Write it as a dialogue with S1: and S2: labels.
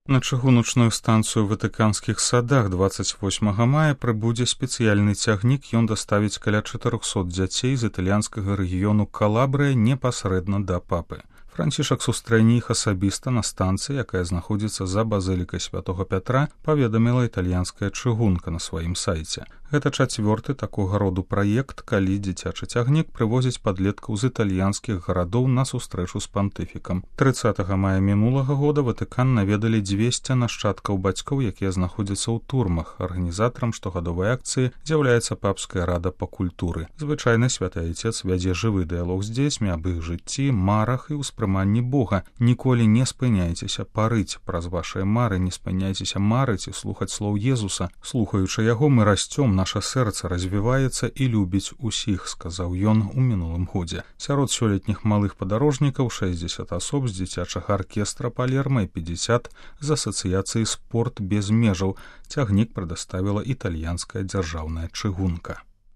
S1: На чыгуначную станцыю ў Ватыканскіх садах 28 мая прыбудзе спецыяльны цягнік, ён даставіць каля 400 дзяцей з італьянскага рэгіёну Калабрыя непасрэдна да папы. Францішак сустрэне іх асабіста на станцыі, якая знаходзіцца за базылікай святого Пятра, паведаміла італьянская чыгунка на сваім сайце. Гэта чацвёрты такога роду праект, калі дзіцячы цягнік прывозіць падлеткаў з італьянскіх гарадоў на сустрэчу з пантыфікам. 30 мая мінулага года Ватыкан наведалі 200 нашчадкаў бацькоў, якія знаходзяцца ў турмах. Арганізатарам штогадовай акцыі з'яўляецца папская рада па культуры. Звычайна святы айцец вядзе жывы дыялог з дзецьмі аб іх жыцці, марах і ўспрыманні Бога. Ніколі не спыняйцеся парыць праз вашыя мары, не спыняйцеся марыць і слухаць слоў Езуса. Слухаючы яго, мы расцём, наша сэрца развіваецца і любіць усіх, сказаў ён у мінулым годзе. Сярод сёлетніх малых падарожнікаў 60 асоб з дзіцячага аркестра Палерма і 50 з асацыяцыі «Спорт без межаў». Цягнік прадаставіла італьянская дзяржаўная чыгунка.